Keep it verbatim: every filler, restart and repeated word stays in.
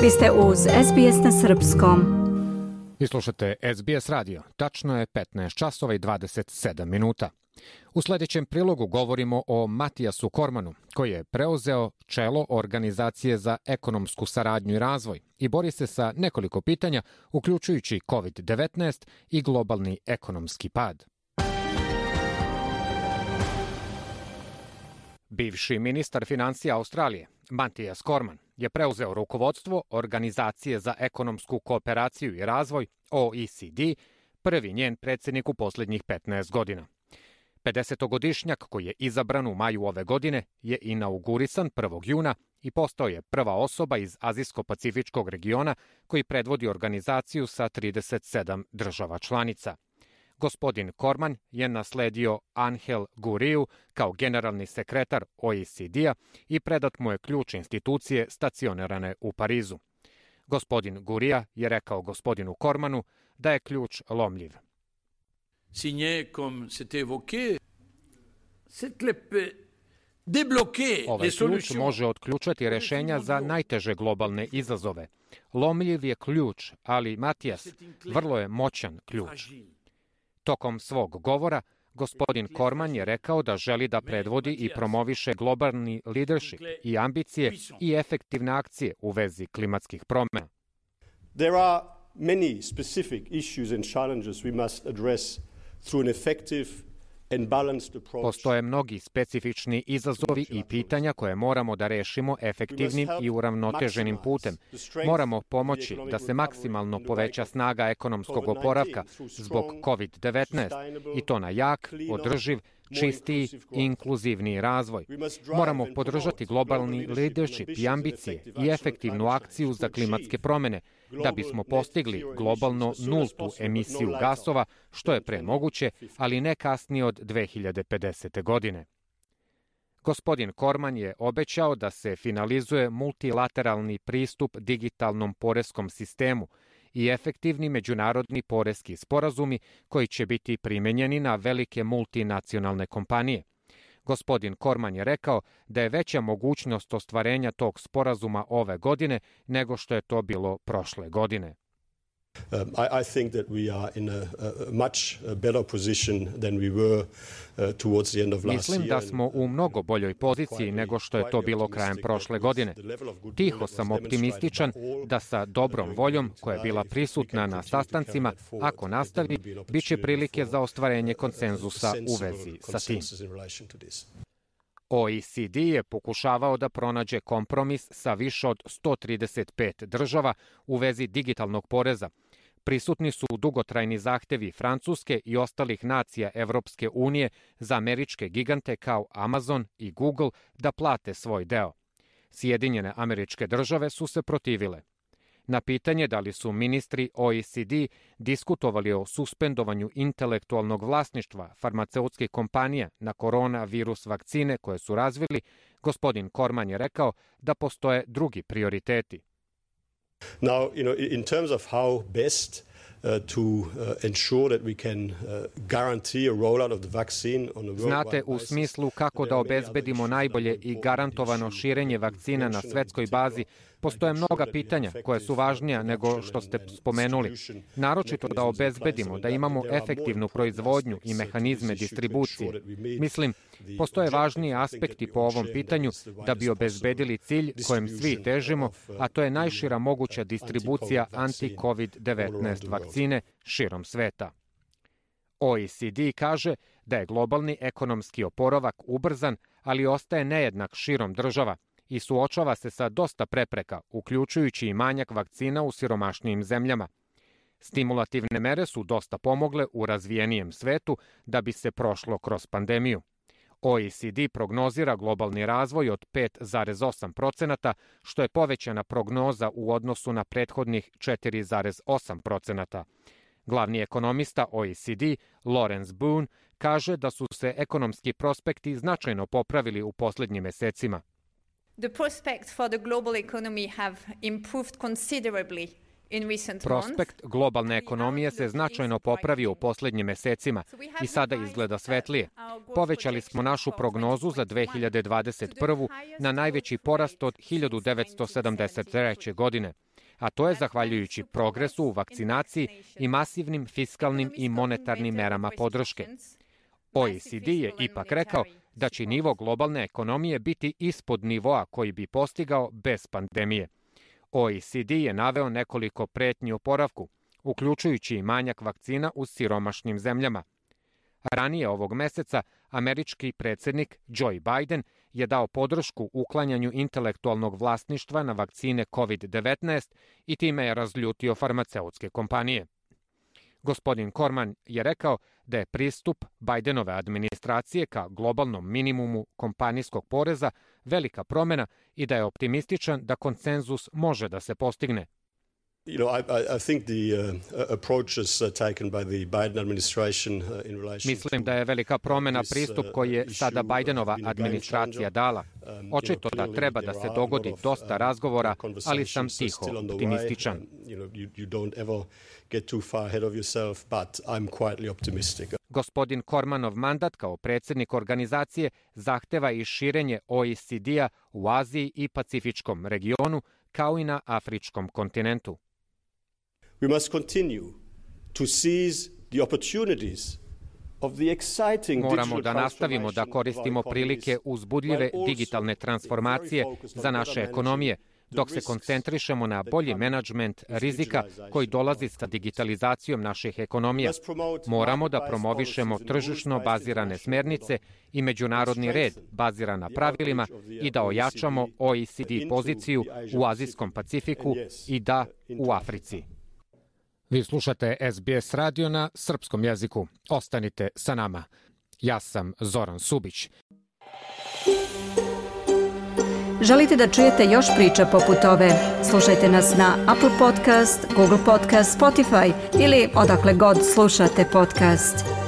Vi ste uz S B S na srpskom. Vi slušate S B S radio. Tačno je petnaest časova i dvadeset sedam minuta. U sljedećem prilogu govorimo o Matijasu Kormanu, koji je preuzeo čelo Organizacije za ekonomsku saradnju i razvoj i bori se sa nekoliko pitanja, uključujući kovid devetnaest i globalni ekonomski pad. Bivši ministar financija Australije, Matijas Korman, je preuzeo rukovodstvo Organizacije za ekonomsku kooperaciju i razvoj, O E C D, prvi njen predsjednik u posljednjih petnaest godina. pedesetogodišnjak koji je izabran u maju ove godine je inaugurisan prvog juna i postao je prva osoba iz Azijsko-pacifičkog regiona koji predvodi organizaciju sa trideset sedam država članica. Gospodin Korman je nasledio Angel Guriju kao generalni sekretar O E C D-a i predat mu je ključ institucije stacionirane u Parizu. Gospodin Gurija je rekao gospodinu Kormanu da je ključ lomljiv. Signé comme c'était évoqué, cette clé peut débloquer Ovaj les ključ solutions. može otključati rešenja za najteže globalne izazove. Lomljiv je ključ, ali Matijas, vrlo je moćan ključ. Tokom svog govora, gospodin Korman je rekao da želi da predvodi i promoviše globalni leadership i ambicije i efektivne akcije u vezi klimatskih promjena. There are many specific issues and challenges we must address through an effective and balanced approach. Postoje mnogi specifični izazovi i pitanja koje moramo da rešimo efektivnim i uravnoteženim putem. Moramo pomoći da se maksimalno poveća snaga ekonomskog oporavka zbog kovid devetnaest i to na jak, održiv, čistiji i inkluzivniji razvoj. Moramo podržati globalni leadership i ambicije i efektivnu akciju za klimatske promjene da bismo postigli globalno nultu emisiju gasova, što je pre moguće, ali ne kasnije od dve hiljade pedesete. godine. Gospodin Korman je obećao da se finalizuje multilateralni pristup digitalnom poreskom sistemu i efektivni međunarodni poreski sporazumi koji će biti primenjeni na velike multinacionalne kompanije. Gospodin Korman je rekao da je veća mogućnost ostvarenja tog sporazuma ove godine nego što je to bilo prošle godine. Um, I, I think that we are in a, a much better position than we were uh, towards the end of last Mislim year. da smo u mnogo boljoj poziciji nego što je to bilo krajem prošle godine. Tiho sam optimističan da sa dobrom voljom koja je bila prisutna na sastancima, ako nastavi, bit će prilike za ostvarenje konsenzusa u vezi sa tim. O E C D je pokušavao da pronađe kompromis sa više od sto trideset pet država u vezi digitalnog poreza. Prisutni su dugotrajni zahtevi Francuske i ostalih nacija Evropske unije za američke gigante kao Amazon i Google da plate svoj deo. Sjedinjene Američke Države su se protivile. Na pitanje da li su ministri O E C D diskutovali o suspendovanju intelektualnog vlasništva farmaceutskih kompanija na koronavirus vakcine koje su razvili, gospodin Korman je rekao da postoje drugi prioriteti. Now, you know, in terms of how best uh, to uh, ensure that we can uh, guarantee a rollout of the vaccine on a worldwide Znate, u basis, smislu kako da obezbedimo najbolje i garantovano širenje vakcina na svetskoj bazi, postoje mnoga pitanja koje su važnija nego što ste spomenuli. Naročito da obezbedimo da imamo efektivnu proizvodnju i mehanizme distribucije. Mislim, postoje važniji aspekti po ovom pitanju da bi obezbedili cilj kojem svi težimo, a to je najšira moguća distribucija anti-kovid devetnaest vakcine širom sveta. O E C D kaže da je globalni ekonomski oporavak ubrzan, ali ostaje nejednak širom država i suočava se sa dosta prepreka, uključujući i manjak vakcina u siromašnijim zemljama. Stimulativne mere su dosta pomogle u razvijenijem svetu da bi se prošlo kroz pandemiju. O E C D prognozira globalni razvoj od pet zarez osam procenata, što je povećana prognoza u odnosu na prethodnih četiri zarez osam procenata. Glavni ekonomista O E C D, Lawrence Boone, kaže da su se ekonomski prospekti značajno popravili u posljednjim mesecima. The prospects for the global economy have improved considerably Prospekt globalne ekonomije se značajno popravio u posljednjim mesecima i sada izgleda svetlije. Povećali smo našu prognozu za dve hiljade dvadeset prvu na najveći porast od hiljadu devetsto sedamdeset treće. godine. a to je zahvaljujući progresu u vakcinaciji i masivnim fiskalnim i monetarnim merama podrške. O E C D je ipak rekao da će nivo globalne ekonomije biti ispod nivoa koji bi postigao bez pandemije. O E C D je naveo nekoliko pretnji oporavku, uključujući i manjak vakcina u siromašnim zemljama. Ranije ovog meseca američki predsjednik Joe Biden je dao podršku uklanjanju intelektualnog vlasništva na vakcine kovid devetnaest i time je razljutio farmaceutske kompanije. Gospodin Corman je rekao da je pristup Bidenove administracije ka globalnom minimumu kompanijskog poreza velika promjena i da je optimističan da konsenzus može da se postigne. You know, I, I think the uh, approaches taken by the Biden administration in relation Mislim da je velika promjena pristup koji je sada Bidenova administracija dala. Očito da treba da se dogodi dosta razgovora, ali sam tiho optimističan. Gospodin Cormanov mandat kao predsjednik organizacije zahteva i širenje O E C D-a u Aziji i Pacifičkom regionu, kao i na afričkom kontinentu. We must continue to seize the opportunities of the exciting Moramo da nastavimo da koristimo prilike uzbudljive digitalne transformacije za naše ekonomije, dok se koncentrišemo na bolji menadžment rizika koji dolazi sa digitalizacijom naših ekonomija. Moramo da promovišemo tržišno bazirane smernice i međunarodni red baziran na pravilima i da ojačamo O E C D poziciju u Azijskom Pacifiku i da u Africi. Vi slušate S B S radio na srpskom jeziku. Ostanite sa nama. Ja sam Zoran Subić. Želite da čujete još priča poput ove? Slušajte nas na Apple Podcast, Google Podcast, Spotify ili odakle god slušate podcast.